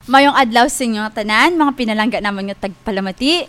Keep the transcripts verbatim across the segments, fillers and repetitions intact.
Mayong adlaw sa inyo nga tanan, mga pinalangga namon nga tagpalamati.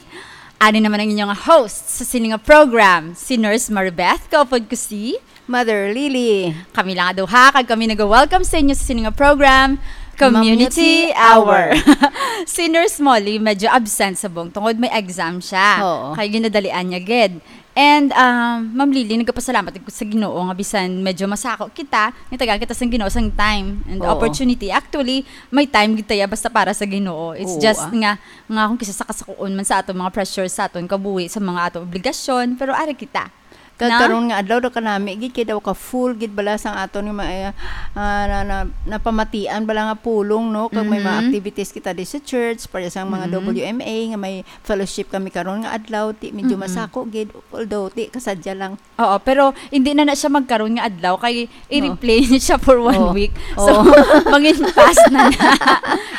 Ani naman ang inyong host sa sini nga program, si Nurse Maribeth, kaupod ko si Mother Lily. Kami lang duha, kag kami nag-welcome sa inyo sa sini nga program, Community Community Hour. Hour. Si Nurse Molly medyo absent sa bong tungod may exam siya. Oo. Kay ginadalian niya gid. And, um, Ma'am Lily, nagapasalamat ko sa Ginoo nga bisan medyo masako kita, nitagaan kita sang Ginoo sang time and Oo. opportunity. Actually, may time gid tayo basta para sa Ginoo. It's Oo, just ah. nga, nga kung kisa sa kasakuon man sa aton mga pressure, sa aton kabuhi, sa mga aton obligasyon, pero ari kita. Kag Na? karon nga adlaw daw kanami gid kay daw ka full gid bala sang aton nga mga, ah, na, na, napamatian bala nga pulong, no? Kag may mga Mhm. activities kita di sa church, para sa mga Mhm. W M A nga may fellowship kami karon nga adlaw, ti medyo Mm-mm. masako gid, although ti kasadya lang. Oo, pero hindi na na siya magkaron nga adlaw kay Oo. i-replay niya siya for one Oo. week. So, Oo. mangin past na na.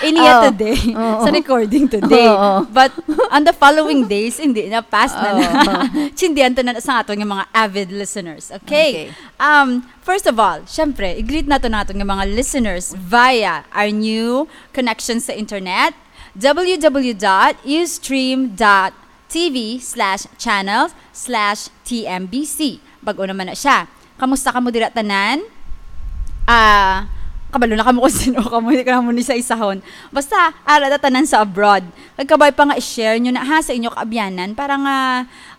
Iniya Oo. today, Oo. sa recording today. Oo. But on the following days, hindi na, past na na. Oo. Chindihan to na sa aton nga mga avid listeners, okay? Okay. Um, first of all, syempre, i-greet nato na aton nga mga listeners via our new connection sa internet, w w w dot ustream dot t v slash channel slash t m b c. Bag-o naman na siya. Kamusta kamo dira tanan? Ah, kabalo na kamo kung sino kamo, hindi ko na mo ni sa isahon. Basta, ara ta tanan sa abroad. Kag kabay pa nga i-share nyo na ha sa inyo kaabyanan para nga,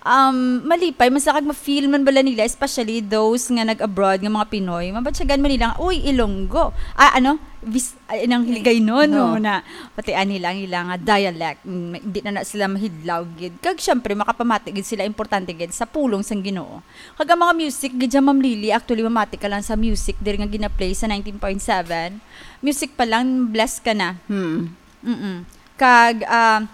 um, malipay man sila kag ma-feel man bala nila, especially those nga nag-abroad nga mga Pinoy. Mabatyagan man nila nga, "Uy, Ilonggo." Ah, ano? Vis-, ay, nang Hiligaynon, no, Oo. na pati ani lang ila nga dialect. Mm, hindi na na sila mahidlaw gid. Kag syempre, makapamati gid sila, importante gid sa pulong sang Ginoo. Kag ang mga music gid dyan, Ma'am Lily, actually, mamati ka lang sa music diri nga gina-play sa ninety point seven. Music pa lang, bless ka na. Hmm. Mm-mm. Kag, ah,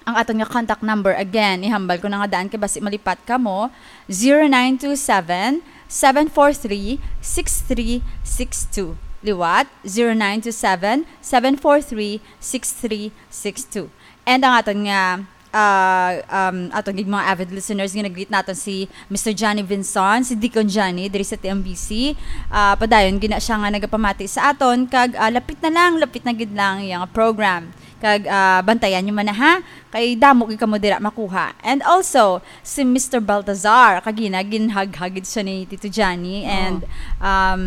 ang aton nga contact number, again, ihambal ko na nga daan kay basi malipat kamo, zero nine two seven, seven four three, six three six two. Liwat, zero nine two seven, seven four three, six three six two. And ang aton nga, ah, um, aton gid mga avid listeners nga nag-greet naton si Mister Johnny Vinson, si Deacon Johnny diri sa T M B C. Ah, padayon gina siya nga nagapamati sa aton kag, ah, lapit na lang, lapit na gid lang iyang program. Kag, ah, bantayan nyo man na, ha? Kay damo gid kamo dira makuha. And also, si Mister Baltazar, kagina, ginhaghag gid siya ni Tito Johnny. Oo. And, um,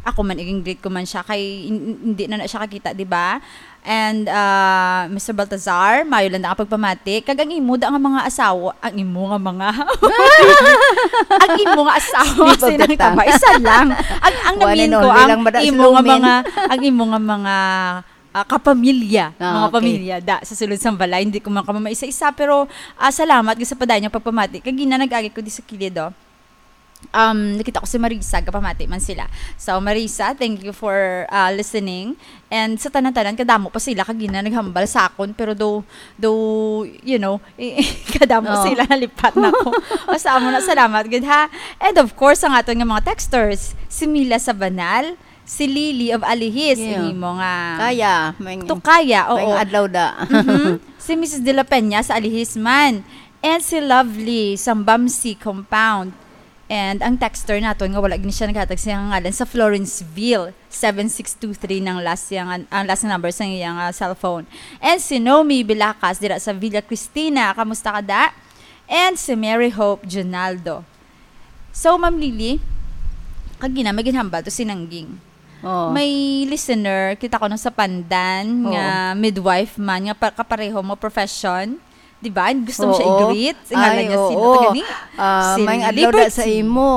ako man, iging greet ko man siya. Kay hin-, hindi na na siya kakita, di ba? And, ah, Mister Baltazar, mayo lang na pagpamati. Kag ang imo da nga mga asawa, ang imo nga mga, ang imo nga asawa, Slip of the sinang tongue. taba, isa lang. Ang, ang One and namin ko, only ang lang ba da, imo nga Slomin? mga, ang imo nga mga ah, kapamilya, Ah, mga okay. pamilya, da, sa sulod sang balay. Hindi ko man kamamaisa-isa, pero, ah, salamat gid sa padayon nga pagpamati. Kagina nag-agi ko di sa kilid, oh. Um, nakita ko si Marisa, gapamati man sila. So, Marisa, thank you for, ah, listening. And sa tanan-tanan, kadamo pa sila, kagina naghambal sa akon, pero do, do, you know, kadamo Oh. sila, nalipat na ko. Basta amo na, salamat gid, ha. And of course, ang aton nga mga texters, si Mila Sabanal, si Lily of Alihis, Yeah. ang imo nga Kaya, may Tukaya, may oo. adlaw da. Mhm. Si Missus De La Peña sa Alihis man. And si Lovely sa Bamsi Compound. And ang texter naton nga wala gid siya naghatag sa iyang ngalan sa Florenceville, seven six two three ng last yang, ang last number sa iyang, ah, cellphone. And si Nomi Bilacas dira sa Villa Cristina. Kamusta ka, da? And si Mary Hope Junaldo. So, Ma'am Lily, kagina may ginhambal to si Nangging. Oh. May listener, kita ko nung sa Pandan, Oo. nga midwife man, nga pa-, kapareho mo profession. Di ba? Gusto mo siya Oo. i-greet? Ang ngalan Ay, niya, sino oo. to gani? Ah, Si may adlaw da sa Liberty. imo.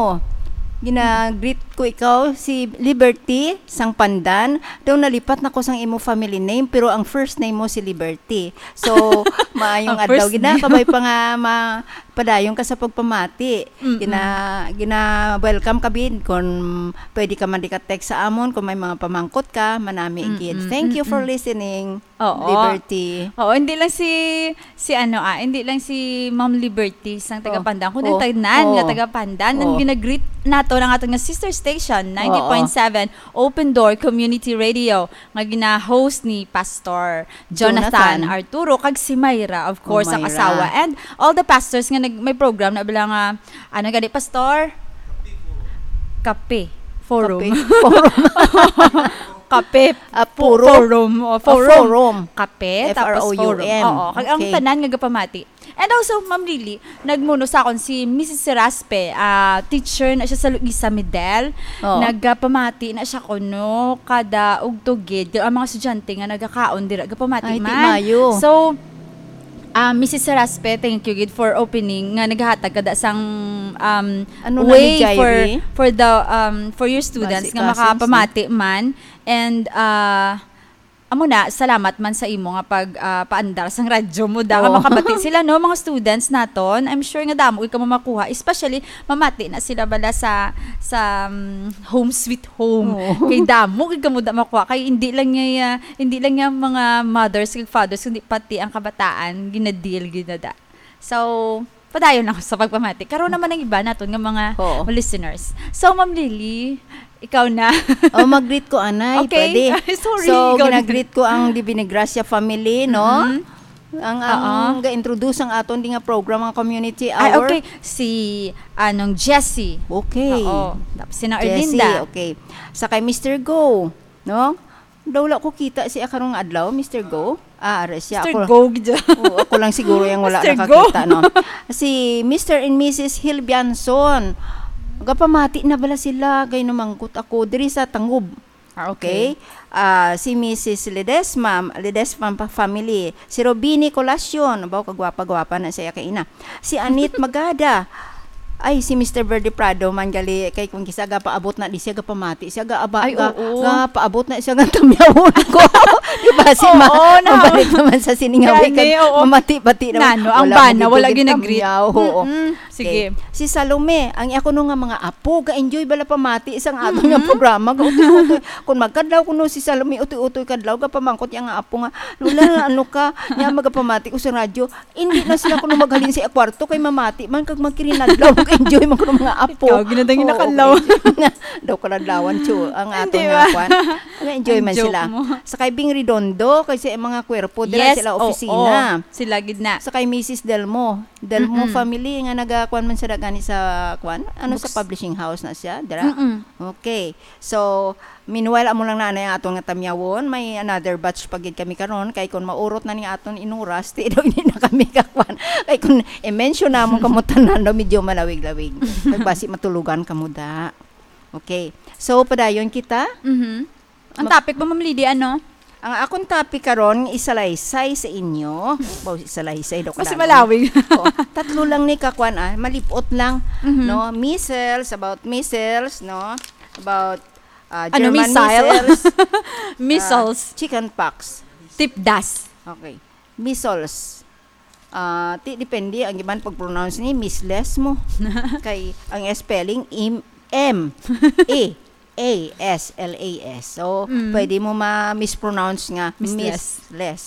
Gina-greet ko ikaw, si Liberty, sang Pandan. Daw nalipat na ko sang imo family name, pero ang first name mo si Liberty. So, maayong Ang adlaw first gid na. name. Kabay pa nga ma-, padayon ka sa pagpamati. Mm-mm. Gina-, gina-welcome ka, bid. Kung pwede ka man di ka text sa amon, kung may mga pamangkot ka, manami Mm-mm, gid. Thank you for mm-mm. listening, Oo. Liberty. Oo, hindi lang si, si ano, ah, hindi lang si Ma'am Liberty sang taga Oh. Pandan, kundi Oh. tanan nga Oh. taga Pandan. Ang Oh. gina-greet nato ng aton nga sister station, Oo. ninety point seven Open Door Community Radio, nga gina-host ni Pastor Jonathan Jonathan. Arturo, kag si Myra, of Oh, course, ang Myra. asawa. And all the pastors nga nag-, may program na bala nga, ano gani, Pastor? Kape Forum. Kape Forum. Kape. Ah, Fo-, forum. Forum. Oh, Ah, forum. Forum. Kape, tapos forum. F R O U M. Oo, kag ang Okay. tanan nga gapamati. And also, Ma'am Lily, nagmuno sa akon si Missus Seraspe, ah, teacher na siya sa Luisa Medel. Oo. Nagapamati na siya kuno kada ugtugid. Ang mga estudyante nga nagakaon dira, gapamati Ay, ti man. Mayo. So, ah, Missus Seraspe, thank you gid for opening nga naghatag kada sang, um, Ano na ni way for, Jairi? for the, um, for your students Basi nga ka, makapamati man. And, ah, amo na, salamat man sa imo nga pag, ah, paandar sang radyo mo da nga Oo. makabati sila, no, mga students naton. I'm sure nga damo gid kamo makuha, especially mamati na sila bala sa, sa, um, home sweet home. Oo. Kay damo gid kamo da makuha, kay hindi lang nga, ah, hindi lang nga mga mothers kag fathers, kundi pati ang kabataan ginadeal gid na da. So, padayon ako sa pagpamati. Karon naman ang iba naton nga mga Oo. listeners. So, Ma'am Lily, ikaw na. Oh, mag-greet ko, anay, Okay. pwede. Ay, sorry, So, ikaw na. gina-greet ko ang Divine Gracia family, no? Mhm. Ang, ang Oo. ga-introduce ang aton di nga program, ang Community Ay, Hour. okay. Si, anong, Jessie. Okay. Oo. Tapos si Nang Jessie, Erlinda. okay. Sa kay Mister Go, no? Daw wala ko kita siya karong adlaw, Mister Go. Ah, are siya. Mister Ako, Go, gid. Oo, ako lang siguro yung wala Mister Go. nakakita, no? Si Mister and Missus Hilbianson. Gapamati na bala sila, kay namangkot ako diri sa Tangub. Ah, okay. Okay? Ah, si Missus Ledesma, Ledesma pa family. Si Robini Colacion, baw kagwapa-gwapa na siya kay ina. Si Anit Magada. Ay, si Mister Verde Prado man gali, kay kung kisa gapaabot na di siya, gapamati siya, gaaba-, Ay, ga-, oo. gapaabot na siya nga tamyawon ko. Di ba, si ma-, Oo, na- mabalik naman sa siningawi Gani, kag oo. mamati-pati naman. Nano, ang Wala bana, mo wala gid ginagree. tamyaw, oo. Mm-mm. Sige. Okay. Si Salome, ang iya kuno nga mga apo, ga-enjoy bala pamati sang aton nga Mm-mm. programa. Ga-utoy-utoy. Kung magkadlaw kuno si Salome, utoy-utoy kadlaw, gapamangkot iya nga apo nga, "Lola, ano ka?" Nya, magapamati ko sa radyo. Hindi na sila kuno maghalin sa kwarto kay mamati man kag magkirinadlaw, mag-enjoy man kuno mga apo. Ikaw, ginadangin na Oo, kadlaw. okay. Daw kaladlawan, chu, ang Hindi aton ba? nga kwan. Mag-enjoy Ang man joke sila. mo. Sa kay Bing Redondo, kay sa mga kwerpo, dira Yes, sila oo. opisina. Sila gid na. Sa kay Missus Delmo. Delmo Mm-mm. family nga nagakuan man sila gani sa kuan. Ano, sa Books. publishing house na siya, dira? Mm-mm. Okay. So, meanwhile, amo lang na, na aton nga tamyawon, may another batch pa gid kami karon, kay kung maurot na ni aton inuras, ti daw hindi na kami kakuan. Kay kung i-mention namon kamo tanan daw, medyo malawig-lawig. Kay basi matulugan kamo da. Okay. So, padayon kita. Mhm. Ang Mag- topic mo, Ma'am Lily, ano? Ang akong topic karon, isalaysay sa inyo. Baw, isalaysay daw Kasi kailangan. malawig. Oh, tatlo lang ni kakuan, ah, malipot lang, Mhm. no? Measles, about measles, no? About, ah, Ano, German missile? measles, Measles. ah, chicken pox. Tipdas. Okay. Measles. Ah, ti, depende ang iban pag-pronounce ni misles mo. Kay ang spelling, im-, M, A, A, S, L, A, S. So, Mm. pwede mo ma-mispronounce nga Misles. misles.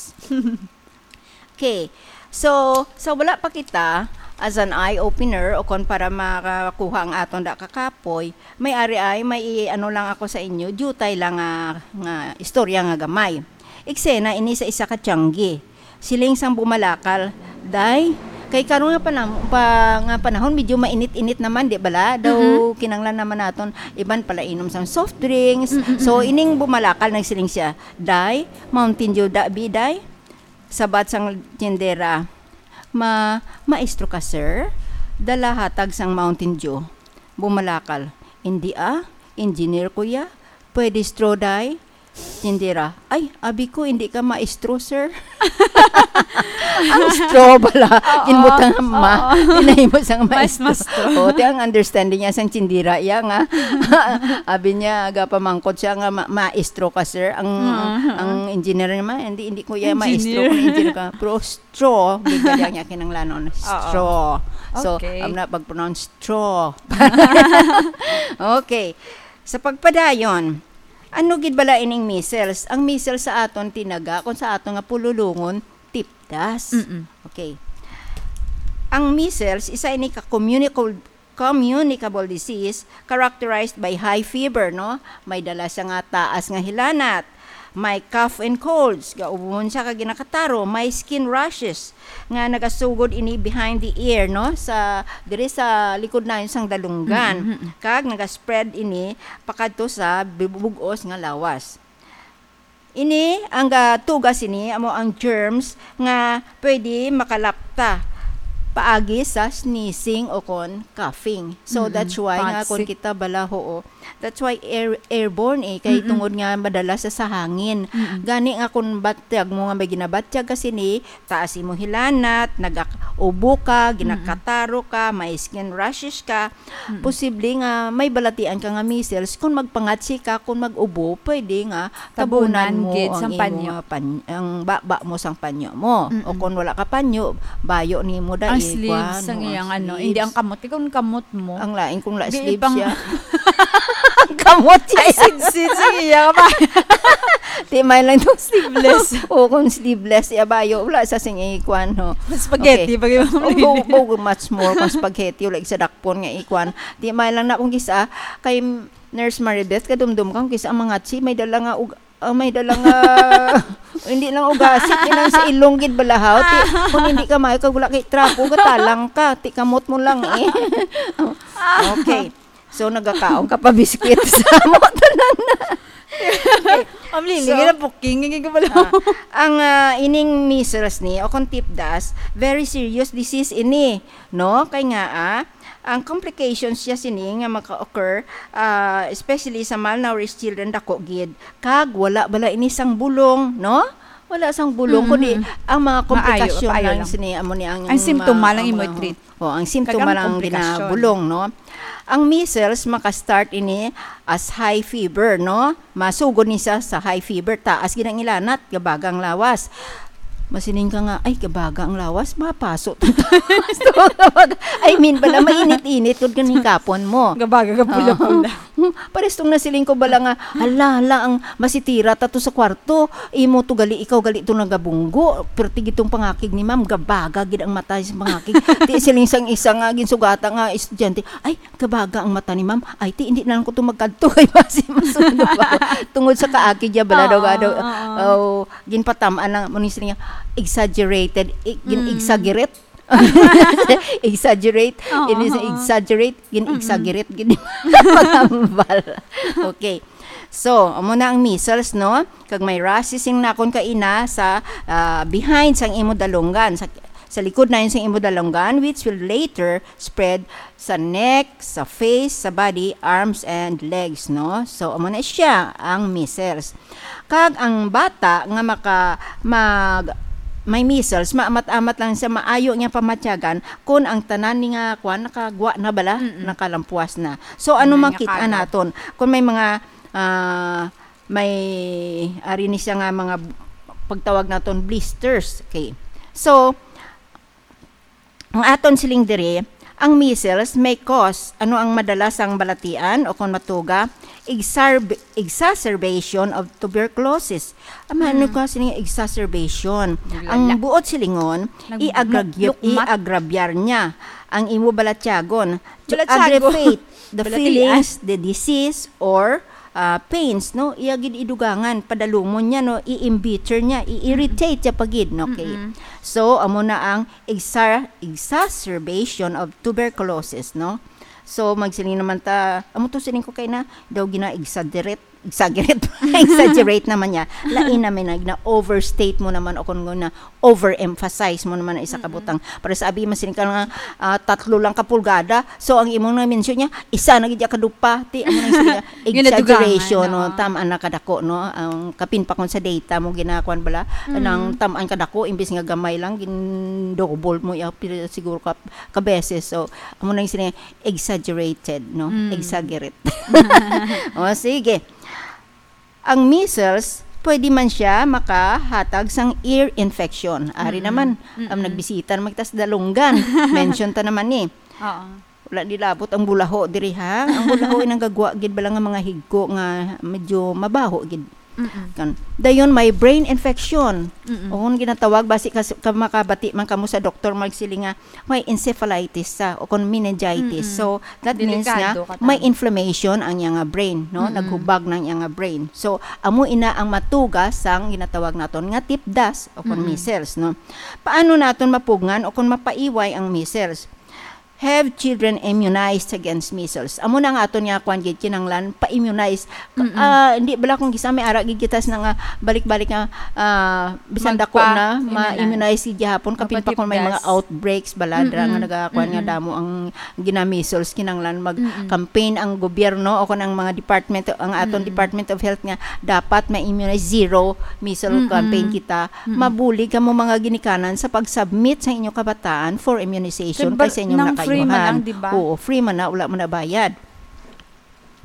Okay. So, sa wala pa kita, as an eye-opener, o kon para makakuha ang aton da kakapoy, may ari ay, may i-, ano lang ako sa inyo, diutay lang nga, nga istorya nga gamay. Eksena ini sa isa ka tiangge. Siling sang bumalakal, "Day, kay karon nga panam-, pa, nga panahon, medyo mainit-init naman, di bala? Daw Mhm. kinanglan naman naton iban pala inom sang soft drinks." Mm, mm, So, mm. ining bumalakal, nagsiling siya, "Day, Mountain Dew da, bi, day?" Sabat sang tindera, "Ma-, maestro ka, sir? Dala hatag sang Mountain Dew." Bumalakal, "Indi, ah. Engineer ko ya. Pwede straw, day?" Tindera, "Ay, abi ko, hindi ka maestro, sir." Ang straw bala, Oo. ginbutang nga ma, Oo. tinahimo sang Mas maestro. maestro. O, ti ang understanding niya sang tindera, iya nga. Abi niya, gapamangkot siya nga, "Ma-, maestro ka, sir?" Ang, Mhm. ang engineer naman, "Hindi, hindi ko iya maestro, Engineer. kung engineer ka." Pero straw, gid ba niya kinanglanon? Oo. Straw. So, Okay. I'm not pag-pronounce straw. Okay. Sa pagpadayon, ano gid bala ining measles? Ang measles sa aton tinaga, kung sa aton nga pululungon, tipdas. Mm-mm. Okay. Ang measles, isa ini ka communicable, communicable disease characterized by high fever, no? May dala siya nga taas nga hilanat. May cough and colds, gaubon siya kag ginakataro, may skin rashes nga nagasugod ini behind the ear, no? Sa, diri sa likod na sang dalunggan. Mm, mm, mm. Kag nagaspread ini pakadto sa bug-os nga lawas. Ini, ang, ah, tugas ini amo ang germs nga pwede makalapta paagi sa sneezing o kon coughing. So, Mm-mm. That's why nga kon Toxic. Kita bala, oo. That's why air-, airborne eh, kay Mm-mm. Tungod nga madala sa, sa hangin. Mm-mm. Gani nga kon batyag mo nga may ginabatyag ka sini, taas imo hilanat, nagak-, ubo ka, Mm-mm. ginakataro ka, may skin rashes ka, Mm-mm. posible nga may balatian ka nga measles. Kung magpangatsi ka, kung mag-ubo, pwede nga tabunan Tabunan mo gid ang sang imo panyo. nga pan-, ang baba mo sang panyo mo. O Mm-mm. Kung wala ka panyo, bayo nimo da Ang eh, sleeves kuwan, sang o ang iyang ano, hindi ang sleeves. Kamot. Ikaw ang kamot mo. Ang lain kung la Di sleeves ipang- siya. Ang kamot siya. Ay, sidsid, sige, iya ka ba? Di may lang itong Sleeveless. O kung sleeveless, iya bayo, wala sa sing ikuan, no? Spaghetti, Okay. pag yung Oh, go, go much more kung spaghetti, wala sa dakpon nga ikuan. Di may lang na kung kisa, kay Nurse Maribeth, kadumdum kang kisa ang mga chi, may dala nga ug-, ah, may dala nga, hindi lang ugasik, yun ang sa ilong gid balahaw. Ti, kung hindi ka maayo, kag wala kay trapo, gatalang ka. Ti, kamot mo lang eh. Okay. So, nagakaon ka pa biskwit sa mo. Tanan na. Ang lili, So, nga na booking, nga gabalaw. Ah, ang, ah, ining measles ni, o kung tipdas, very serious disease ini, no? Kay nga, ah, ang complications siya sini nga maka-occur, ah, especially sa malnourished children, dako gid. Kag wala bala ini sang bulong, no? Wala sang bulong, Mm-hmm. Kundi ang mga Maayo, komplikasyon paayo lang lang. Sini, amo ni ang Ang simptoma mga, lang ang imo mga, i-treat. Oh, ang simptoma Kag ang lang ang komplikasyon. Ginabulong, no? Ang measles, maka-start ini as high fever, no? Masugod ni sa, sa high fever, taas gid ang hilanat, gabaga ang lawas. Masiling ka nga, "Ay, gabaga ang lawas, mapaso." I mean, bala, mainit-init, gud gani kapon mo. Gabaga, gapula-pula. Oh. Pares tong nasiling ko bala nga, "Hala, hala, ang masitira ta to sa kwarto. Imo to gali, ikaw gali to nagabunggo." Perti gitong pangakig ni ma'am, gabaga gid ang mata sa pangakig. Ti siling sang isa nga ginsugata nga estudyante, "Ay, gabaga ang mata ni ma'am. Ay, ti, hindi na lang ko to magkadto kay basi masundo pa ako." Tungod sa kaakig niya, bala daw, Oo, daw, oo. Oh, ginpatam-an lang mo ni siling niya, exaggerated, i-, gin-, Mm. exaggerate. Exaggerate. Oo, Ini sa oo. Exaggerate, gin-exaggerate, Mm-mm. gin-, pagambal. Okay. So, amo na ang measles, no? Kag may rashes sing nakon ka ina sa, ah, behind sang imo dalunggan, sa, sa likod na yun sang imo dalunggan, which will later spread sa neck, sa face, sa body, arms, and legs, no? So, amo na siya ang measles. Kag ang bata nga maka-, mag-, may measles, maamat-amat lang siya, maayo niya pamatyagan kung ang tanan ni nga kwan nakagwa na bala, Mm-mm. nakalampuas na. So, ano Tanan nga makita kagaw. Naton? Kung may mga, ah, may, ari ni siya nga mga pagtawag naton blisters. Okay. So, ang aton siling diri, ang measles may cause. Ano ang madalas ang balatian o kung matuga? Exarb-, exacerbation of tuberculosis. Ama, ano Hmm. ka sining exacerbation? Ang Lala. Buot silingon, Nag-, i-agrag-, lukmat. I-agrabyar niya ang imo balatyagon to Balatyago. Aggravate the Balatian. Feelings, the disease, or ah, pains, no? Iya gid idugangan, padalumon niya, no? I-embitter niya, i-irritate siya pa gid, no? Okay. Mm-mm. So, amo na ang exa-, exacerbation of tuberculosis, no? So, magsiling naman ta, amo to siling ko kay na, daw gina-exaggerate, exaggerate, exaggerate naman niya. Lain naman na, na-overstate mo naman o kung na overemphasize mo naman ang isa ka Mm-mm. Butang. Para sa abi, masiling ka nga, ah, tatlo lang ka pulgada. So, ang imong na-mention niya, isa na gid ka dupa. Ti, amo na yung siling niya, Yun, exaggeration, nadugangan, no? Oo. Tama na kadako, no? Ang kapin pa kung sa data mo, ginakuan bala, Mm. nang tamaan kadako, imbis nga gamay lang, gin-double mo, ya, pila siguro ka, ka beses. So, amo na yung siling niya, exaggerated, no? Mm. Exaggerate. O, sige. Ang measles, pwede man siya makahatag sang ear infection. Ari Mm-mm. naman, ang Mm-mm. nagbisita naman kita sa Dalunggan. Mention ta naman ni. Oo. Wala di labot ang bulaho diri, ha? Ang bulaho ay nanggagwa gid bala nga mga higko nga medyo mabaho gid. Mm-mm. Kan, dayon may brain infection. Mm-mm. O kung ginatawag, basi ka, ka makabati man kamo sa doktor, magsiling nga, may encephalitis sa, o kon meningitis. Mm-mm. So, that means nga, Delikado ka may tayo. Inflammation ang iyang nga brain, no? Mm-mm. Naghubag ng iyang nga brain. So, amo ina ang matuga sang ginatawag naton nga tipdas o kon Mm-mm. measles, no? Paano naton mapugngan o kon mapaiway ang measles? have children immunized against measles. Amo na nga aton nga kwan gid, kinahanglan pa-immunize. Ka- Mm-mm. ah, hindi bala kung gisa may ara gid kita sa nga balik-balik nga, ah, bisan dako Magpa-, na, immunize. ma-immunize gid gihapon, kapin pa Mapatipdas. kung may mga outbreaks bala, dira nga Mm-mm. nagakuan nga Mm-mm. damo ang gina-measles, kinahanglan Mm-mm. mag-campaign ang gobyerno o kung ang mga department, ang aton Mm-mm. Department of Health nga dapat ma-immunize, zero measles Mm-mm. campaign kita, Mm-mm. mabulig kamo mga ginikanan sa pag-submit sa inyo kabataan for immunization Kay ba-, kay sa inyong nang free man nakayuhan. lang, di ba? Oo, free man na, wala man na bayad.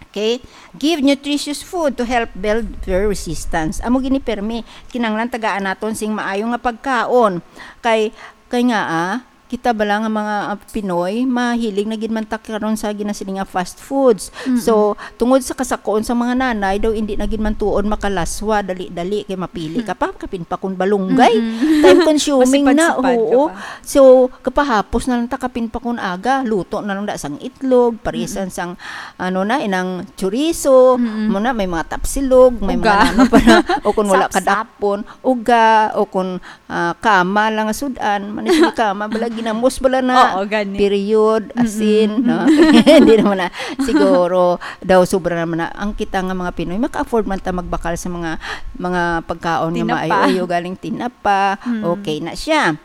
Okay? Give nutritious food to help build their resistance. Amo gini permi, kinahanglan tagaan naton sing maayo nga pagkaon. Kay, kay nga, ah, kita bala nga mga, ah, Pinoy, mahilig na gid man ta karon sa ginasiling nga fast foods. Mm-mm. So, tungod sa kasakoon sa mga nanay, daw hindi na gid man tuod makalaswa, dali-dali, kay mapili ka pa, kapin pa kung balunggay. Mm-mm. Time consuming na, Masipad-sipad ka oo. pa. So, kapahapos na lang ta kapin pa kung aga, luto na lang da sang itlog, parisan Mm-mm. sang, ano na, inang chorizo, Mm-mm. mo na, may mga tapsilog, may Uga. mga ano pa na, o kung wala ka Sapsap. dakpon, uga, o kung, ah, kama lang nga sud-an, man, sige, kama, bala, ginamos, bala na, Oo, gani. period, Mm-mm, asin, no? mm-mm. Hindi naman na, siguro, daw sobra naman na, ang kita nga mga Pinoy, maka-afford man ta magbakal sa mga, mga pagkaon nga Tinapa. maayo-ayo, galing tinapa, Mm. okay na siya.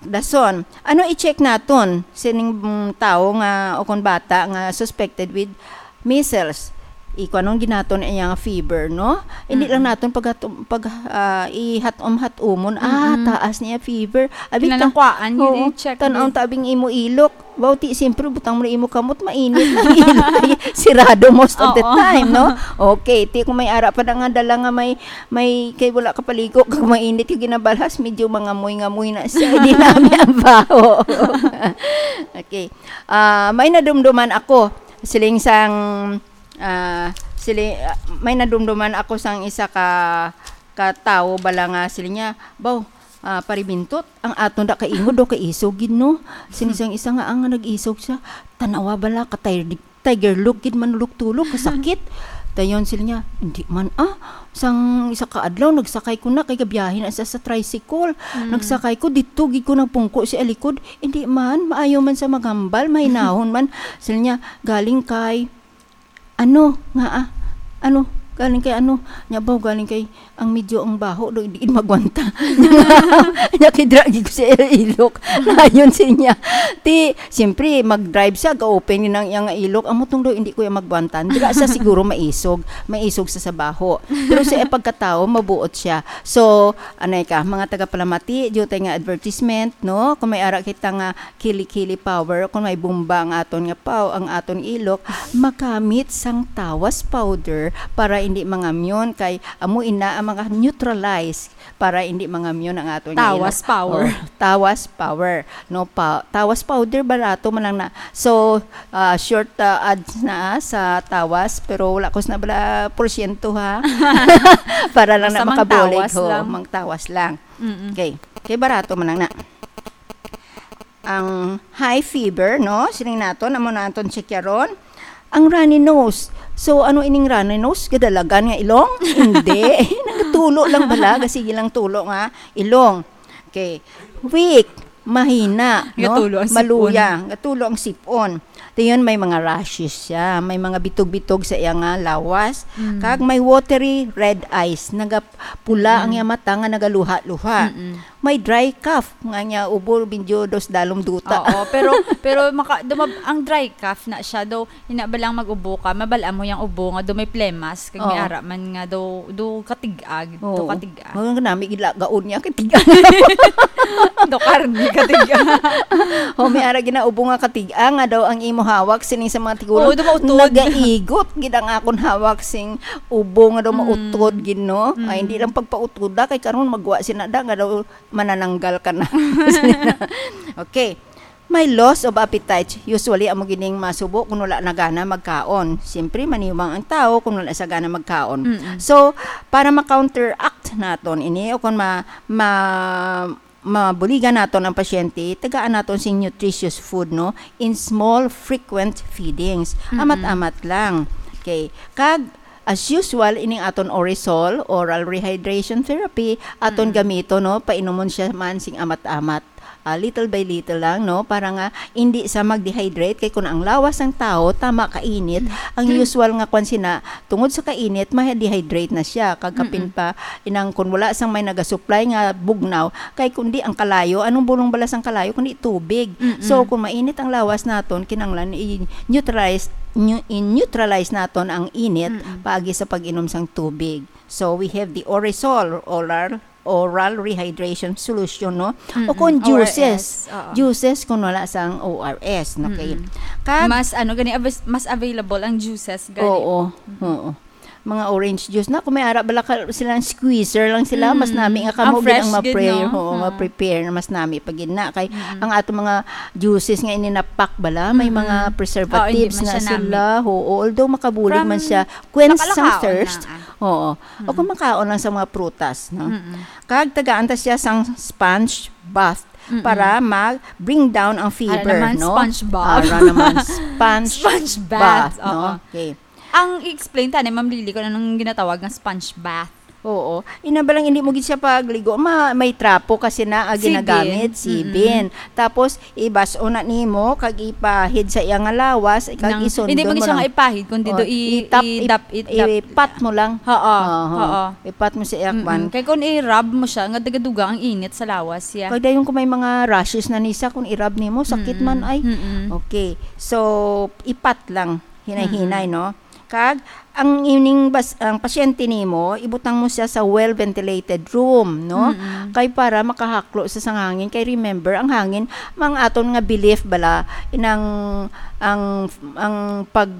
Dason, ano i-check naton sining, mm, tawo nga o kon bata nga suspected with measles? Ikuanon gid naton iya nga fever, no? Hindi lang Mm-mm. naton paghatom-, pag, ah, ihatom-hatomon. Ah, Mm-mm. taas niya fever. Abi, Kinahanglan ta-, kuhaan, yun, oo, i-check tan-aw din. Ta abing imo ilok. Baw, ti, siyempre, butang mo na imo kamot, mainit na ilok. Sirado most of the Oo. time, no? Okay, ti, kung may ara pa na nga dala nga may may, kay wala ka paligo, kag mainit yung ginabalhas, medyo mangamoy-ngamoy na siya. Di na ang baho. Okay. Ah, may nadumduman ako. Siling sang, ah, sili-, ah, may nadumduman ako sang isa ka, ka tawo bala nga siling niya, "Baw, ah, Pare Bintot, ang aton da kaingod daw kay isog gid, no?" Siling sang isa nga, ang nag-isog siya, "Tanawa bala, ka tiger, tiger look gid manulok-tulok, kasakit." Dayon sila niya, "Hindi man, ah. Sang isa ka adlaw, nagsakay ko na, kay gabiyahe na siya sa tricycle. Mm. Nagsakay ko, dito gid ko nagpungko sa likod. Hindi man, maayo man sa maghambal, mahinahon man." Sila niya, "Galing kay, ano, nga, ah, ano, galing kay ano?" Nya ba, "Galing kay, ang medyo ang baho do, hindi magwanta." Nya kay dira gid ko sa ilok. Nayon siya niya. Ti, siyempre, mag-drive siya, ga-open ni nang iyang ilok. Amo tong do, hindi ko yung magwantan. Dira sa siguro maisog. Maisog sa sabaho. Pero sa pagkatao, mabuot siya. So, anay ka, mga tagapalamati, dito nga advertisement, no? Kung may ara kita nga kili-kili power, kung may bomba ang aton nga paw, ang aton ilok, magamit sang tawas powder para hindi mangamyon kay amo ina ang mga neutralize para hindi mangamyon ang aton nga Tawas ilok. Power. Oh, tawas power. No, pa, tawas powder barato man lang na. So, ah, short, ah, ads na, ah, sa tawas, pero wala ko na bala porsyento, ha. Para lang na Basta mang makabulig, tawas ho, lang. Mang tawas lang. Mm-mm. Okay. Kay barato man lang na. Ang high fever, no? Siling naton, amo na aton check karon. Ang runny nose. So, ano ining runny nose? Gadalagan nga ilong? Hindi. Nagatulo lang bala. Sige lang tulo nga ilong. Okay. Weak. Mahina, no? Gatulo ang sipon. Maluya. Gatulo ang sipon. Dayon, may mga rashes siya. May mga bitog-bitog sa iya nga lawas. Mm. Kag may watery red eyes. Nagapula ang Mm. iya mata nga nagaluha-luha. Mm-mm. May dry cough nga niya ubo, bindyo dos dalom duta. Oo, pero, pero maka-, dumab-, ang dry cough na siya, daw, hina ba lang mag-ubo ka, mabal-an mo yung ubo nga, daw may plemas, kag may Oo. ara man nga, daw, daw katig-ag, daw Oo. katig-ag. Mga nami, gilagaon niya, katig-ag. Daw karni, katig-ag. O, may ara ginaubo nga katig-ag, nga daw ang imo hawak, sining sa mga tigulang, Oo, daw mautod. Nagaigot, gid ang akon hawak, sing ubo nga daw Mm. mautod, gid, no? Ay, Mm. hindi lang pagpautoda, kay karon magwa sina da, nga daw manananggal ka na. Okay. May loss of appetite. Usually, amo gining masubo kung wala na gana magkaon. Siyempre, maniwang ang tao kung wala sa gana magkaon. Mm-mm. So, para ma-counteract naton ini o kung ma-, ma-, mabuligan naton ang pasyente, tagaan naton sing nutritious food, no? In small, frequent feedings. Mm-mm. Amat-amat lang. Okay. Kag, as usual, ining aton Orisol, oral rehydration therapy, aton Mm. gamito, no? Painumon siya man sing amat-amat. ah, little by little lang, no? Para nga hindi sa mag-dehydrate, kay kung ang lawas sang tawo tama kainit, ang Mm. usual nga kwan sina, tungod sa kainit, ma-dehydrate na siya. Kag kapin Mm-mm. pa, inang kung wala sang may nagasupply nga bugnaw, kay kundi ang kalayo, anong bulong bala sang kalayo, kundi tubig. Mm-mm. So, kung mainit ang lawas naton, kinahanglan i-neutralize, neu-, i-neutralize naton ang init Mm-mm. paagi sa pag-inom sang tubig. So, we have the Orisol, oral oral rehydration solution, no? O Mm-mm. kung juices. O R S, oo. Juices kung wala sang O R S, no? Okay. Mm-mm. Kag Mas, ano, gani, avis-, mas available ang juices, gani. Oo, oo. Mga orange juice na. Kung may ara bala ka, silang squeezer lang sila, mas Mm. nami nga kamo Ang gid ang fresh gid, ma-prepare, no? oo, Oo. ma-prepare na mas nami pa gid na. Kay Mm-mm. ang ato mga juices nga ininapak bala, may Mm-mm. mga Oo, hindi preservatives man na siya nami. sila. Oo, although makabulig man From siya, quench sang nakalakaon thirst. na, ah. Oo. O Mm. kung makaon lang sa mga prutas, no? Mm-mm. Kag tagaan ta siya sang sponge bath Mm-mm. para mag-bring down ang Ara fever, naman, no? sponge bath. Ara naman, sponge Sponge bath, bath, no? oo. Okay. Ang i-explain ta ni Ma'am Lily kung anong ginatawag nga sponge bath. Oo. Ina ba lang hindi mo gid siya pagligo, ma-, may trapo kasi na, ah, Sibin. ginagamit, Mm-mm. sibin. Tapos, ibas-o na nimo, kag ipahid sa iya nga lawas, kag Nang, isundon hindi mo mo siya lang. nga ipahid, kundi Oh, do i-, itap, i-, dap, i-, dap. ipat mo lang. Oo, Oo. oo. Ipat mo sa iya, Mm-mm. kwan. Kay kung i-rub mo siya, nga duga-duga ang init sa lawas siya. Kag dayon kung may mga rashes na ni siya, kung i-rub nimo, sakit Mm-mm. man ay. Mm-mm. Okay. So, ipat lang, hinay-hinay, Mm-mm. no? Kag ang ining bas-, ang pasyente nimo, ibutang mo siya sa well-ventilated room, no? Mm-mm. Kay para makahaklo sa sang hangin. Kay remember, ang hangin, mga aton nga belief bala, inang, ang, ang pag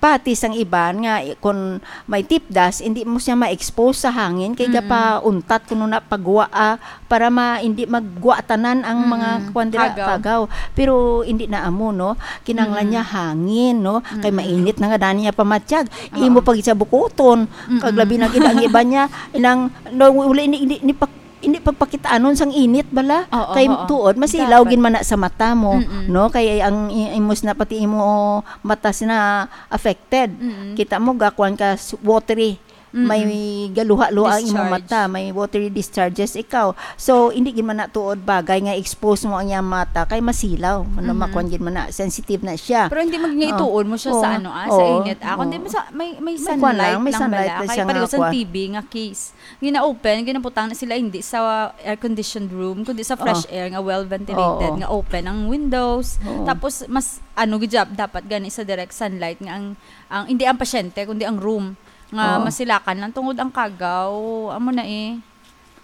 pati sang iban nga, eh, kun may tipdas, hindi mo siya ma-expose sa hangin, kay Mm-mm. gapauntat kuno na pagwa, ah, para ma-, hindi magwa tanan ang mga Mm-mm. kwan dira, Kagaw. kagaw. Pero hindi na amo, no? Kinahanglan Mm-mm. niya hangin, no? Kay Mm-mm. mainit na nga dani niya pamatyag. Oo. Imo pag sa bukuton, kag Mm-mm. labi na gid ang iban niya, inang, no, wala, hindi, hindi, hindi pa hindi pagpakitaanon sang init bala. Oo, Kay oo. tuod, masilaw Dapat. gid man na sa mata mo, Mm-mm. no? Kay ang i-, imos na pati imo mata sina affected. Mm-mm. Kita mo, gakuan ka s-, watery. Mm-mm. May galuha-luha ang imo Discharge. mata, may watery discharges ikaw. So, hindi gid man na tuod bagay nga expose mo ang iyang mata kay masilaw. Ano, Mm-hmm. makuan gid man na, sensitive na siya. Pero hindi mag-, nga Oh. ituon mo siya sa Oh. ano, ah, sa Oh. init, ah. Kundi Oh. mo sa, may, may May kuan sunlight lang, may lang sunlight bala. lang Kay siya pareho nga sa kuan. T B nga case. Gina-open, ginabutang na sila hindi sa air-conditioned room, kundi sa fresh Oh. air nga well-ventilated, Oo. nga open ang windows. Oo. Tapos, mas, ano, gid jab-, dapat gani sa direct sunlight nga ang, ang, hindi ang pasyente, kundi ang room nga Oo. masilakan lang tungod ang kagaw. Amo na eh,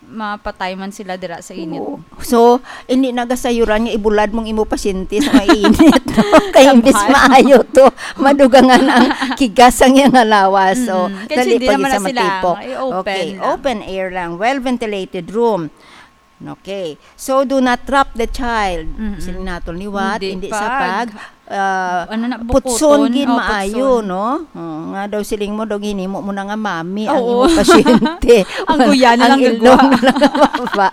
mapatay man sila dira sa init. Oo. So, hindi nagasayuran nga ibulad mong imo pasyente sa mainit, no? Kay imbis Sabay. maayo to, madugangan ang kigas ang iyang lawas. So, Mm. Kaya dali hindi pa naman gyud na sa sila, matipok. Ay, open Okay, lang. open air lang. Well-ventilated room. Okay. So, do not trap the child. Mm-mm. Sini natol liwat, Hindi hindi sa pag, pag, ah, ano na, putson bukton. gid Oh, maayo, putson. no? Oh, nga daw siling mo, daw ginimo mo na nga mami ang Oo. imong pasyente. Ang guya na Ang lang ilong gagwa. na lang ang baba.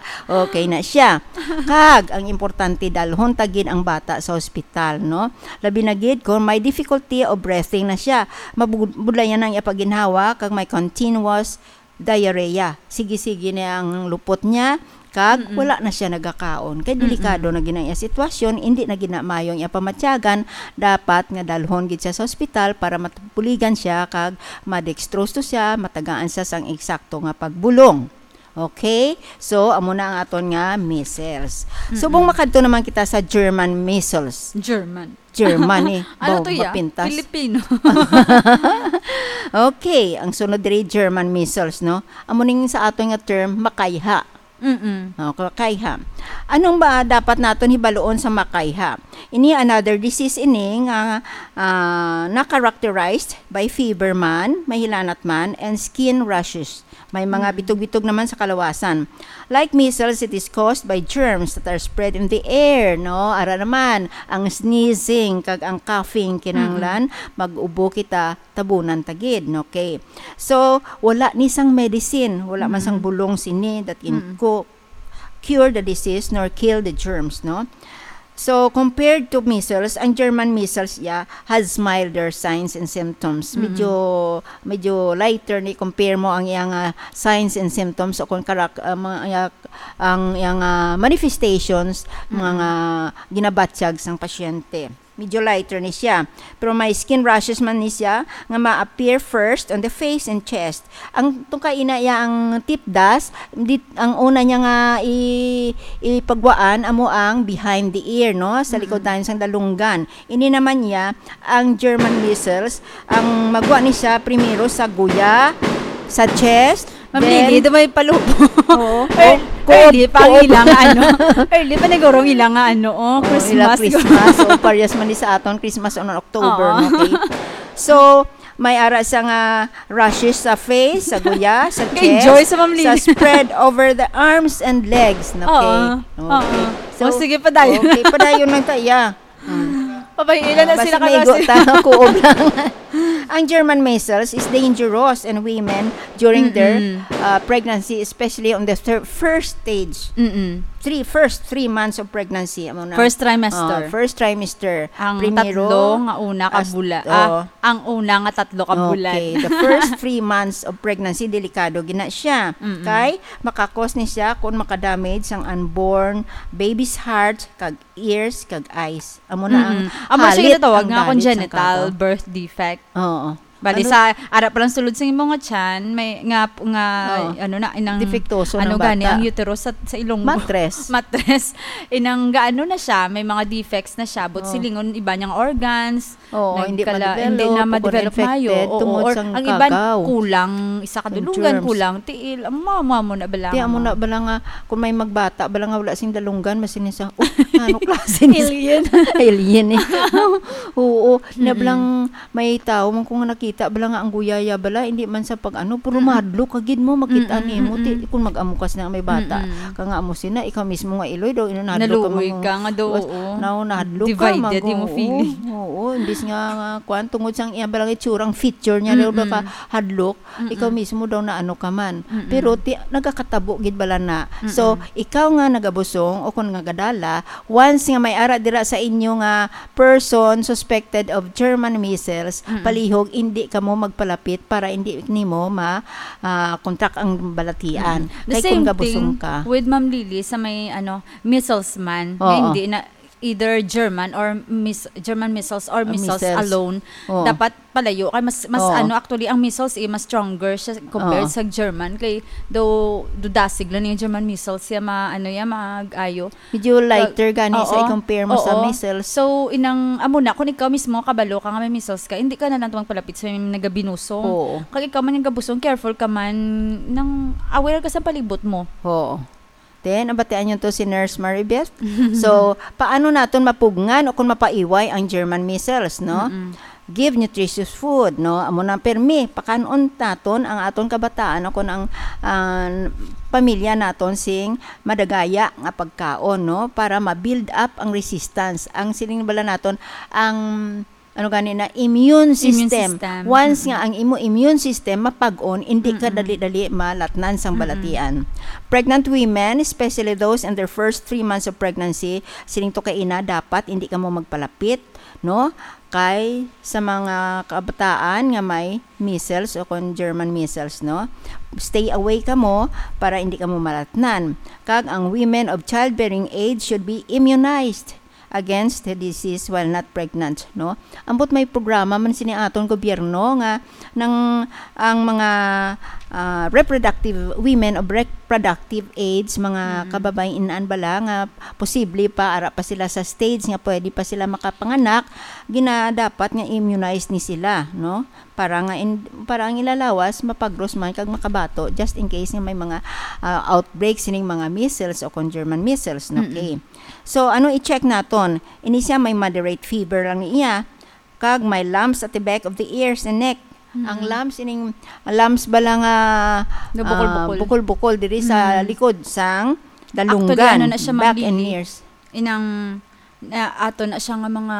Okay na siya. Kag, ang importante, dalhon ta gid ang bata sa ospital, no? Labi na gid kung may difficulty of breathing na siya. Mabud-, budlayan ang iya pagginhawa, kag may continuous diarrhea. Sige-sige na ang lupot niya, kag Mm-mm. wala na siya nagakaon. Kay Mm-mm. delikado na gid ang iya sitwasyon, hindi na gid na maayo ang iya pamatyagan, dapat nga dalhon gid siya sa ospital para mabuligan siya, kag ma-dextrose to siya, matagaan siya sang eksakto nga pagbulong. Okay? So, amo na ang aton nga measles. Mm-mm. Subong makadto naman kita sa German measles. German. German eh. Ano Baw, to, ya? mapintas. Filipino. Okay, ang sunod diri, German measles, no? Amo ning sa aton nga term, makayha. Mm-mm. No, makayha. Anong ba dapat naton hibaluon sa makayha? Ini another disease ini nga, ah, na-characterized by fever man, mahilanat man, and skin rashes. May mga Mm. bitog-bitog naman sa kalawasan. Like measles, it is caused by germs that are spread in the air, no? Ara naman, ang sneezing kag ang coughing, kinahanglan Mm-mm. mag-ubo kita, tabunan ta gid, no? Okay. So, wala ni sang medicine, wala man sang Mm-mm. bulong sini that can Mm-mm. co-, cure the disease nor kill the germs, no? So, compared to measles, ang German measles, yeah, has milder signs and symptoms. Mm-hmm. Medyo, medyo lighter ni compare mo ang iyang, ah, signs and symptoms o kung karak-, ah, mga, ah, ang, ang, ah, manifestations, Mm-mm. mga ginabatyag sang pasyente. Medyo lighter ni siya. Pero may skin rashes man ni siya nga ma-appear first on the face and chest. Ang tungkay ina iya ang tip dust, di, ang una niya nga i-, ipagwaan amo ang behind the ear, no? Sa likod Mm-mm. tayo sang dalunggan. Ini naman niya ang German measles. Ang magwa ni siya primero sa guya, sa chest, Ma'am then Lily, do may palubo. Oo. Ear-, Ko-, early pa ang ko-, ila nga ano. Early pa nagurong ila nga ano, oh, Oo, Christmas. Ila Christmas. O, parehas man ni sa aton, Christmas on October, Oo. no? Okay? So, may ara sa nga rashes sa face, sa guya, sa chest, Enjoy sa Ma'am Lily. sa spread over the arms and legs, no? Okay? Oo. Okay. Oo. So, O, sige, padayon. okay, padayon lang ta, yeah. Mm. Papahilan na Basta sila may kayo. Go-, ta, kuob lang. Ang German measles is dangerous in women during their, Mm-mm. uh, pregnancy, especially on the thir-, first stage. Mm-mm. Three, first three months of pregnancy, amo na. First trimester. Uh, first trimester. Ang Primero, tatlo nga una ka as-, bula-, oh. ah, ang una nga tatlo ka bulan. Okay, the first three months of pregnancy, delikado gina siya. Mm-mm. Kay, makakos ni siya kung makadamage ang unborn baby's heart, kag ears kag eyes. Amo na ang Mm-mm. Amo siya halit, ginatawag ang nga dalit sang congenital kagaw. birth defect. Oo. Bali, Ano? sa ara pa lang sulod sa imo nga tiyan, may nga, nga, Oo. ano na, inang, Defektoso ng ano gani, bata. ang uterus sa, sa ilong mo. Matres. Matres. Inang gaano na siya, may mga defects na siya, but Oo. silingon iba niyang organs, Oo, hindi nagkala-, ma-develop, hindi na o kung ma-develop infected, maayo. Oo, tungod or sang ang iban kagaw. kulang isa ka Ang dulungan, germs. kulang tiil. Amo, amo, amo na bala Ti, nga amo mga na bala nga, kung may magbata, bala nga wala sing dalunggan, mas ini sa, "Oh, ano klase ni Alien. Alien eh." Oo, na Mm-mm. balang may tao man kung nakita, bala nga ang guyaya bala, hindi man sa pag-ano, pero Mm-mm. mahadlok ka gid mo, makita Mm-mm, nimo, ti, mm-mm. kung mag-amukas na may bata, Mm-mm. ka nga amo sina, ikaw mismo nga iloy daw, ina, nahadlok ka Naluoy mo, ka nga daw, was-, oo. now, nahadlok ka, Divided mag-, yung oo, feeling. oo, imbis nga, nga, kuwan, tungod sang iya, bala nga itsurang feature niya, daw Mm-mm. baka hadlok, Mm-mm. ikaw mismo daw na ano ka man. Mm-mm. Pero ti-, nagakatabo gid bala na. So, Mm-mm. ikaw nga nagabusong o kung nagadala, once nga may ara dira sa inyo nga person suspected of German measles, Mm-mm. palihog, indi kamo magpalapit para indi nimo ma-, ah, contract ang balatian. Mm-mm. The Kay kung same gabusong thing ka. with Ma'am Lily sa may, ano, measles man, nga Oo. hindi na, either German or mis-, German measles or Ah, measles measles. alone, Oo. dapat palayo. Kay mas, mas Oo. ano, actually, ang measles, eh, mas stronger siya compared Oo. sa German. Kay do, do dasig lang yung German measles siya, ma-, ano yan, mag-ayo. Medyo Kag-, lighter gani sa oo. i-compare mo sa Oo. measles. So, inang, amo na, kung ikaw mismo kabalo ka nga may measles ka, hindi ka na lang magpalapit sa may nagabinusong. Oo. Kag ikaw man yung gabusong, careful ka man, nang aware ka sa palibot mo. Oo. Then, nabatian niyo to si Nurse Maribeth. So, paano naton mapugngan o kung mapaiway ang German measles, no? Mm-mm. Give nutritious food, no? Amo na, permi, pakan-on naton ang aton kabataan o kung ang, ang pamilya naton sing madagaya nga pagkaon, no? Para ma-build up ang resistance. Ang siling bala naton, ang ano gani na, immune Immune system. system. Once Mm-mm. nga ang imo immune system mapag-on, hindi ka Mm-mm. dali-dali malatnan sang Mm-mm. balatian. Pregnant women, especially those in their first three months of pregnancy, siling to kay ina, dapat hindi kamo magpalapit, no? Kay sa mga kabataan nga may measles o kon German measles, no? Stay away kamo para hindi kamo malatnan. Kag ang women of childbearing age should be immunized against the disease while not pregnant, no? Ambot may programa man sini aton gobyerno nga nang ang mga, ah, reproductive, women of reproductive age, mga Mm. kababayen-an bala nga posible pa, ara pa sila sa stage nga pwede pa sila makapanganak, ginadapat nga immunized ni sila, no? Para nga in-, para ang ila lawas mapagros man kag makabato just in case nga may mga, ah, outbreak sining mga measles o kon German measles, no? Mm-mm. Okay. So, ano i-check naton? Ini siya may moderate fever lang niya, kag may lumps at the back of the ears and neck. Mm. Ang lumps, ining lumps bala nga, Nga bukol-bukol. ah, bukol-bukol diri sa Mm. likod sang dalunggan, Actually, ano na siya, Ma'am back and Lily? ears. Inang, na, ato na siya nga mga,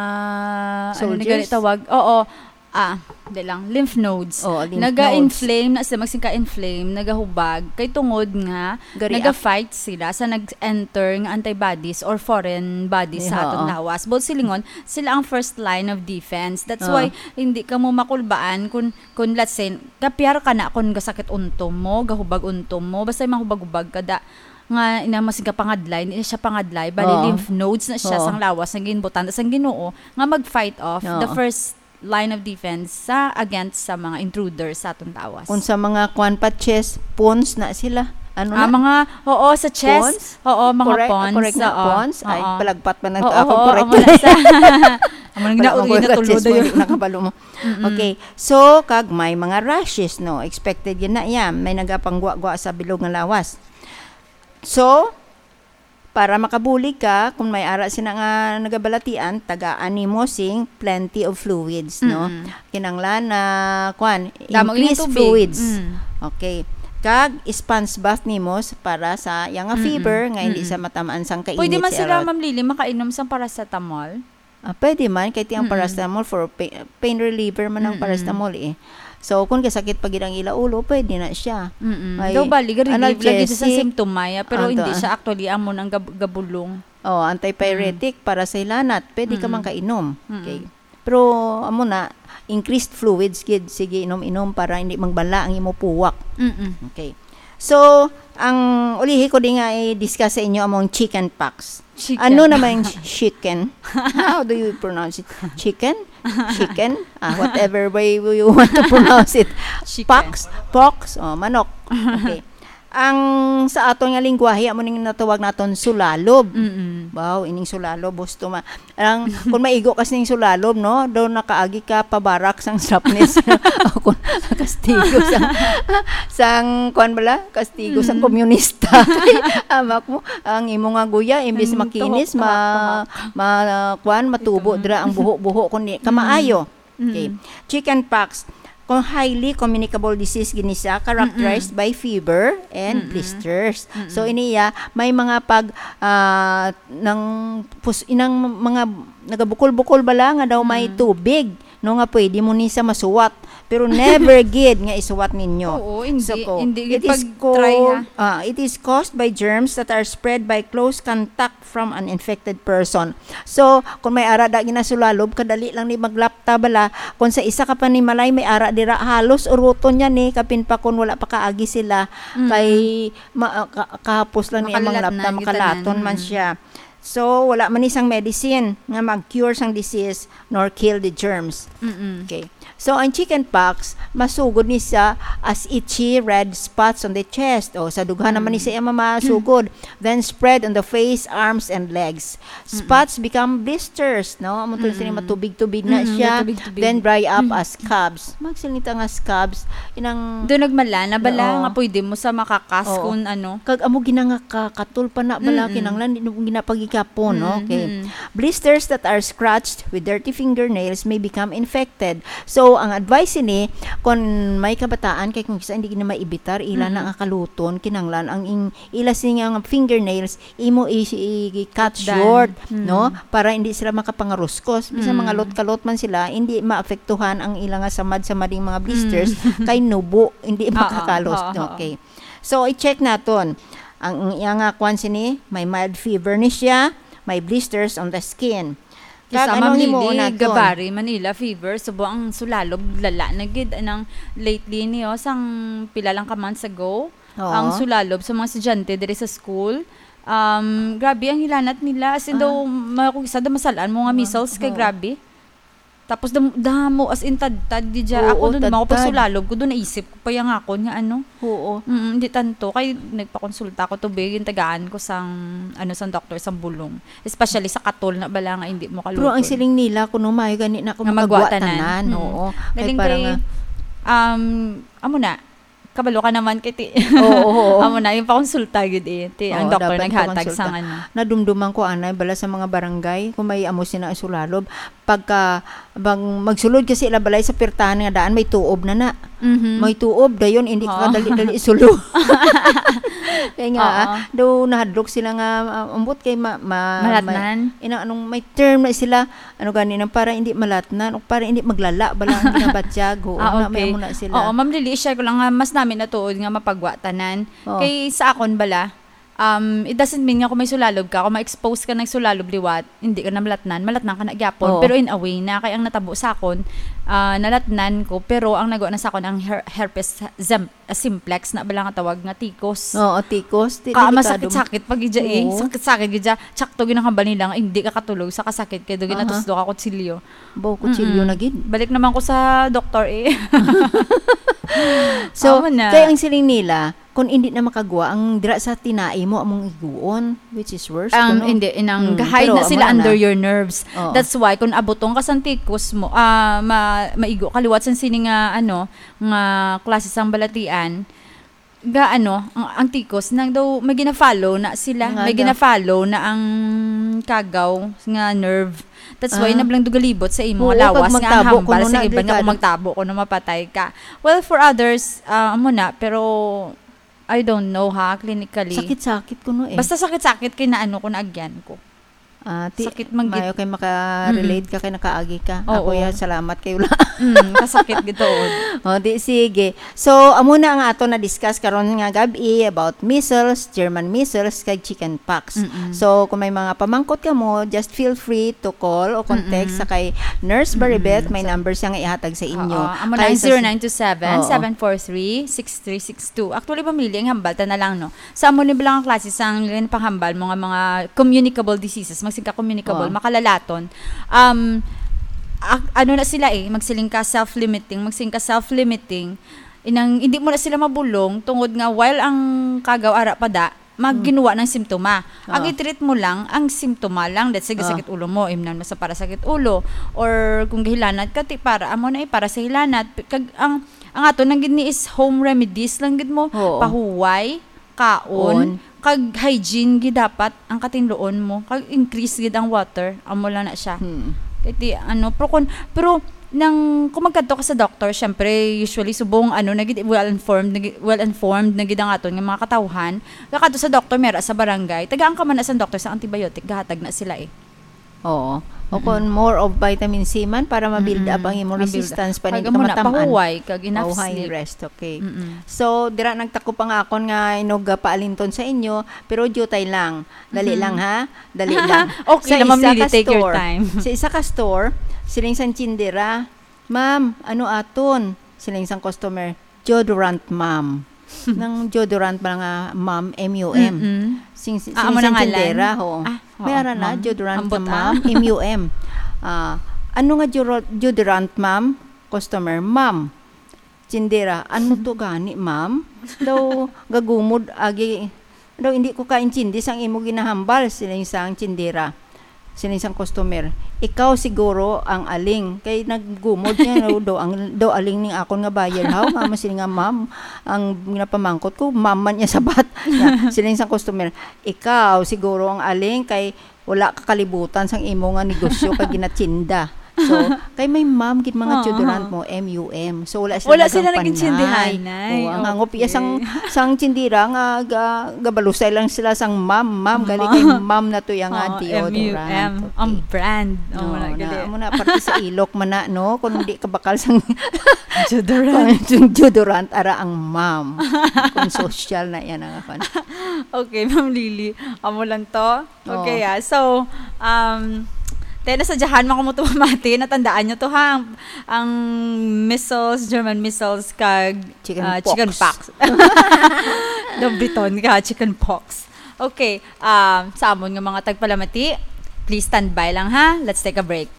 ano na Soldiers? gani tawag? Oo. Ah, di lang, lymph nodes. Oo, lymph Naga-inflame na sila, magsingka-inflame, nagahubag, kay tungod nga Gari ak- naga-fight sila sa nag-enter nga antibodies or foreign bodies sa Iha, atong oo. lawas. But silingon, sila ang first line of defense. That's Oo. why hindi ka mo makulbaan kung, kung let's say, kapyar ka na kung gasakit untom mo, gahubag untom mo, basta yung mahubag-hubag ka da, nga ina mas pangadlay, hindi siya pangadlay, bali Oo. lymph nodes na siya Oo. sang lawas nga ginbutanda sang Ginoo nga mag-fight off the Oo. first line of defense sa, against sa mga intruders sa atong lawas. Kung sa mga kuwan pa, chest, pons na sila. Ano Ah, na? mga, oo, sa chest, Pons? oo, mga Correct, pons, correct na, oo, pons. Ay, oo. palagpat man ang Oo, ako, oo, correct amo na na. sa, amo na Pala gina-, mo, ginatulo chest na mo, yun. nakabalo mo. Mm-mm. Okay. So, kag may mga rashes, no? Expected yun na yan. May nagapanggwa-gwa sa bilog nga lawas. So, para makabulig ka, kung may ara sina nga nagabalatian, tagaan nimo sing plenty of fluids, no? Mm-mm. Kinanglan na, kwan, Damo increase yung tubig. fluids. Mm. Okay. Kag sponge bath nimo s-, para sa iya nga Mm-mm. fever, nga hindi Mm-mm. sa matamaan sang kainit Pwede man si sila, Erod. Ma'am Lily, makainom sang paracetamol? Ah, pwede man, kay ti ang Mm-mm. paracetamol for pa-, pain reliever man ang Mm-mm. paracetamol, eh. So, kung kasakit pa gid ang ila ulo, pwede na siya. Mm-mm. May Daw bali, ga-relieve lagi sa analgesic. Symptomaya, pero Anto, hindi ah. siya actually amo nang gab-, gabulong. Oh, antipyretic Mm. para sa hilanat, pwede ka Mm-mm. man kainom. Mm-mm. Okay. Pero, amo na, increased fluids gid, sige, inom-inom para hindi magbala ang imo puwak. Mm-mm. Okay. So, ang ulihi ko di nga i-discuss sa inyo among chicken pox. Chicken. Ano naman yung ch-, chicken? How do you pronounce it? Chicken? Chicken? Ah, whatever way you want to pronounce it. Chicken. Pox? Pox? Oh, manok. Okay. Ang sa aton nga lingwahe, amo ning natawag naton sulalob. Mm-mm. Wow, ining sulalob, gusto ma-, Ang, kung maigo ka sining sulalob, no, daw nakaagi ka pabarak sang Japanese. O kung kastigo sang, sang, kuwan bala? Kastigo sang Mm. komunista. Amak mo, ang imo nga guya, imbis Ang makinis, tuhok, ma-, tuhok, tuhok. ma-, kuwan, matubo Itong dira ang buho-buho, kung di ka Mm. maayo. Okay. Mm. Chicken pox, kung highly communicable disease gini siya, characterized Mm-mm. by fever and Mm-mm. blisters. Mm-mm. So, ini iya, may mga pag, ah, nang pus-, inang mga nagabukol-bukol bala nga daw may Mm. tubig, no, nga pwede mo ni sa masuwat. Pero never gid nga isuwat ninyo. Oo, hindi, So, ko, hindi it gid is pag-try, ha? co-, ah, it is caused by germs that are spread by close contact from an infected person. So, kung may ara da ginasulalog, kadali lang ni maglapta bala. Kung sa isa ka panimalay may ara dira, halos uruton niya ni, kapin pa kung wala pa kaagi sila, Mm. kay ma-, ah, ka-, kahapos lang niya Makalat manglapta, na, makalaton gitanan. man Mm. siya. So, wala man ni sang medicine nga mag-cure sang disease nor kill the germs. Mm-mm. Okay. So, ang chicken pox, masugod ni siya as itchy red spots on the chest. O, sa dughan naman ni Mm. siya mamasugod. Then spread on the face, arms, and legs. Mm-mm. Spots become blisters, no? Amo to sini Mm-mm. matubig-tubig na Mm, siya. matubig-tubig. Then dry up Mm. as scabs. Magsilita nga scabs, inang Doon nagmala na bala Oo. nga pwede mo sa makakas Oo. kung ano. Kag amo gina nga ka-, katol pa na bala, Mm-mm. kinanglan, di na ginapagikapon, no? Mm, Okay. mm. Blisters that are scratched with dirty fingernails may become infected. So, ang advice ini, kung may kabataan, kay kung kisa hindi na maibitar, ila na Mm-mm. nga kaluton, kinanglan ang ing-, ila sini nga fingernails, imo i-, i-, i-cut Done. short, Mm. no? Para hindi sila makapangaruskos. Bisan Mm. mga lot-kalot man sila, hindi maapektuhan ang ila nga samad-samading mga blisters, Mm. kay nubo, hindi Oo, makakalot. oo, oo. Okay. So, i-check naton. Ang iya nga kwan sini, may mild fever ni siya, may blisters on the skin. Kag Isa, anong Ma'am himuon Lily, naton? Gabari, Manila fever, subo ang sulalob, lala na gid. Anang lately niyo, sang pila lang ka months ago, Oo. ang sulalob sa mga estudyante diri sa school, um, grabe ang hilanat nila. As in, Ah. daw, ma-, kung isa daw masalaan mo nga Ah, measles, kay oo. grabe. Tapos dam-, damo, as in, tadtad, di dya. Oo, Ako dun, ako pag tadtad. sulalob ko dun, naisip ko pa yung akon nga ano. Oo. Mm, di tanto. Kay nagpakonsulta ko to, be, yung tagaan ko sang, ano, sang doktor, sang bulong. Especially sa katol na bala nga hindi mo Pero ang kaluton. siling nila, kuno maayo gani na kung Nga magwa magwa tanan. tanan, Mm. oo. Kay Galing para kay, nga um, amo na, kabalo ka naman kay ti-, Oo, oo. amo na, yung pakonsulta gid eh. Ti, ang Oo, doktor dapat naghatag pakonsulta. sang ano. Nadumduman ko, anay, bala sa mga barangay, kung may amo sina ang sulalob, pagka, bang magsulod kasi ila balay sa pirtahan nga daan, may tuob na na. Mhm. May tuob, dayon, hindi ka Oo. kadali-dali isulo. Kaya nga, Oo. ah, daw nahadlok sila nga, ah, ambot kay ma-, ma-, Malatnan? may, ina-, anong may term na sila, ano gani nang para hindi malatnan, o para hindi maglala, bala ang ginabatyag, oo, Ah, na, may okay. amo na sila. Oo, Ma'am Lily, share ko lang nga, mas namin natuod nga mapagwa tanan. Oo. Kay sa akon bala, Um, it doesn't mean nga kung may sulalob ka, kung ma-expose ka nagsulalob liwat, hindi ka na malatnan, malatnan ka na gyapon. Oo. Pero in a way na, kay ang natabo sa akon, ah, nalatnan ko, pero ang nagawa na sa akon ang her-, herpes zem-, ah, simplex na bala nga tawag nga tikos. Oo, tikos. Di, Ka, delikado. Masakit-sakit pag gidya eh. Oo. Sakit-sakit gidya. Tsakto ginakambal nila nga hindi ka katulog sa kasakit kay do Aha. ginatuslo ka kutsilyo. Baw, kutsilyo Mm-mm. na gid. Balik naman ko sa doktor eh. So, Amo na. Kay ang siling nila, kung hindi na makagwa, ang dira sa tinai mo, among iguon, which is worse, Ang, kuno. hindi, inang Mm, gahay pero na amo sila na. under your nerves. Oo. That's why, kung abutong ka sa tikos mo, ah, ma-, maigo ka liwat sa sini nga, ano, nga klase sang balatian, ga, ano, ang, ang tikos, nang daw, may gina-follow na sila, Nga may daw. gina-follow na ang kagaw nga nerve. That's why, Ah. nablang dugalibot sa imo Oo, nga lawas, kag nga ang magtabo, hambal kuno sa na iban nga kung delikado. magtabo, kuno mapatay ka. Well, for others, ah, amo na, pero I don't know, ha, clinically. Sakit-sakit kuno eh. Basta sakit-sakit kay naano ko, naagyan ko. Ah, ti-, Sakit man gid. Mayo kay maka-relate Mm-mm. ka kay nakaagi ka. Oo. Ako ya, salamat kayo lang. Mm, kasakit gid tuod. O, di, sige. So, amo na ang ato na-discuss karon nga gab-i about measles, German measles, kag chicken pox. Mm-mm. So, kung may mga pamangkot ka mo, just feel free to call o contact Mm-mm. sa kay Nurse Baribet. Mm-mm. May So, number siya nga ihatag sa inyo. Oo. Amo na Kay ang sa zero nine two seven, seven four three, six three six two. Actually, pamili ang hambal, ta na lang, no? Sa amo ni bala nga klase sang panghambal mo nga mga communicable diseases, magsing ka communicable, Oh. makalalaton. Um, ak-, ano na sila eh, magsiling ka self-limiting, magsing ka self-limiting, inang hindi mo na sila mabulong tungod nga while ang kagaw ara pa da, mag-, Mm. ginuwa ng simptoma. Ang Oh. i-treat mo lang, ang simptoma lang. Let's say, Oh. sakit ulo mo, imnan mo sa para sakit ulo. Or kung gahilanat ka, ti para, amo na eh, para sa hilanat. Kag ang, ang ato nang gid ni is home remedies lang gid mo. Oo. Pahuway, kaon, On. kag hygiene gid dapat ang katinluon mo. Kag increase gid ang water. Amo lang na siya. Hmm. Kay ti, ano, pero kun, pero nang, kung magkadto ka sa doktor, syempre, usually, subong, ano, na gid, well-informed, na gid, well-informed na gid ang aton nga mga katawhan. Kakadto sa doktor, mera sa barangay, tagaan ka man na sa doktor sa antibiotic, gahatag na sila eh. Oo. O Mm-mm. kung more of vitamin C man para ma-build Mm-mm. up ang imong Ma-build up. resistance, pa Kag rin amo na, ka matam-an. pahuway, kag enough Pahuway, sleep. rest, okay. Mm-mm. So, dira nagtakop ang akon nga inog, ah, paalinton sa inyo, pero diutay lang. Dali Mhm. lang, ha? Dali lang. Okay Sa lang, Ma'am isa Lily, ka take your store, time. sa isa ka store, siling sang tindera, "Ma'am, ano aton?" Siling sang customer, "Deodorant, ma'am." Nang deodorant ba nga ma'am, M U M? Mm-mm. Sing-, sing-, Ah, amo na sing-, ngalan? tindera, ho. Ah, May oo, ara na, ma'am. deodorant Ambot, nga ah. ma'am, M U M. Ah, "Ano nga deodor-, deodorant, ma'am?" Customer, "Ma'am." Tindera, "Ano to gani, ma'am?" Daw, gagumod, agi, daw, "Hindi ko kaintindi sang imo ginahambal," siling sang tindera. Siling sang customer, "Ikaw siguro ang aling." Kay naggumod niya, daw, daw ang, daw aling ning akon nga buyer, haw, nga mo siling nga ma'am, ang ginapamangkot ko, ma'am man niya sabat. Nga, siling sang customer, "Ikaw siguro ang aling kay wala ka kalibutan sang imo nga negosyo kay ginatinda." So, kay may ma'am gid mga Oo. deodorant mo, M U M. So, wala sila Wala sila nagapanay. nagintindihanay. Oo, ang Okay. hangop iya sang, sang tindira nga ga-, gabalusay lang sila sang ma'am, ma'am, gali kay Ma'am. ma'am na to iya nga Oo, deodorant. M U M. Okay. Ang brand. Oo, Oo, wala na, gali. amo na, parte sa ilok man na, no? Kung hindi ka bakal sang Deodorant. kung deodorant, ara ang ma'am. Kung social na yan ang ako. Okay, Ma'am Lily. Amo lang to. Okay, Oo. ah. So, um, tayo na sa Jahan, makumo to mamati. Natandaan nyo to, ha? Ang, ang measles, German measles, kag, Chicken ah, pox. chicken pox. Dobriton ka, chicken pox. Okay, um, sa amon nga mga tagpalamati, please stand by lang, ha? Let's take a break.